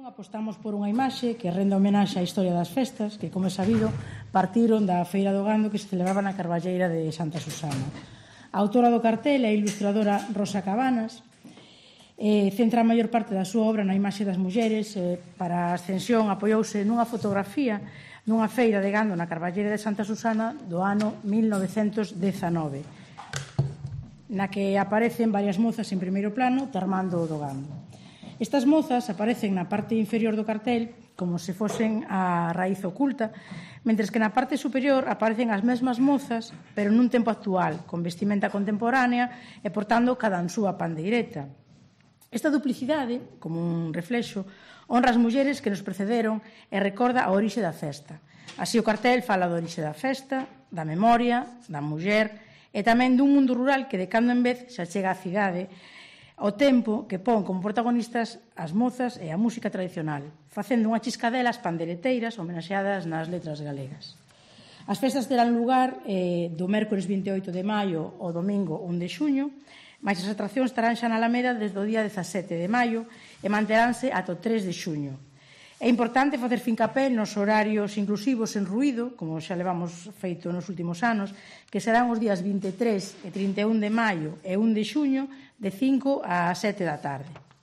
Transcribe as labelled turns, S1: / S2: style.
S1: apostamos por unha imaxe que renda homenaxe á historia das festas que, como é sabido, partiron da Feira do Gando que se celebraba na Carballeira de Santa Susana. A autora do cartel é a ilustradora Rosa Cabanas. Centra a maior parte da súa obra na imaxe das mulleres. Para a ascensión apoiouse nunha fotografía nunha feira de gando na Carballeira de Santa Susana do ano 1919, na que aparecen varias mozas en primeiro plano termando do gando. Estas mozas aparecen na parte inferior do cartel como se fosen a raíz oculta, mentres que na parte superior aparecen as mesmas mozas, pero nun tempo actual, con vestimenta contemporánea e portando cada súa pandeireta. Esta duplicidade, como un reflexo, honra as mulleres que nos precederon e recorda a orixe da festa. Así o cartel fala da orixe da festa, da memoria, da muller e tamén dun mundo rural que de cando en vez se achega á cidade, ao tempo que pon como protagonistas as mozas e a música tradicional, facendo unha chiscadela as pandereteiras homenaxeadas nas letras galegas. As festas terán lugar do mércores 28 de maio ao domingo 1 de xuño, mas as atraccións estarán xa na Alameda desde o día 17 de maio e manteránse ata o 3 de xuño. É importante facer fincapé nos horarios inclusivos en ruído, como xa levamos feito nos últimos anos, que serán os días 23 e 31 de maio e 1 de xuño de 5 a 7 da tarde.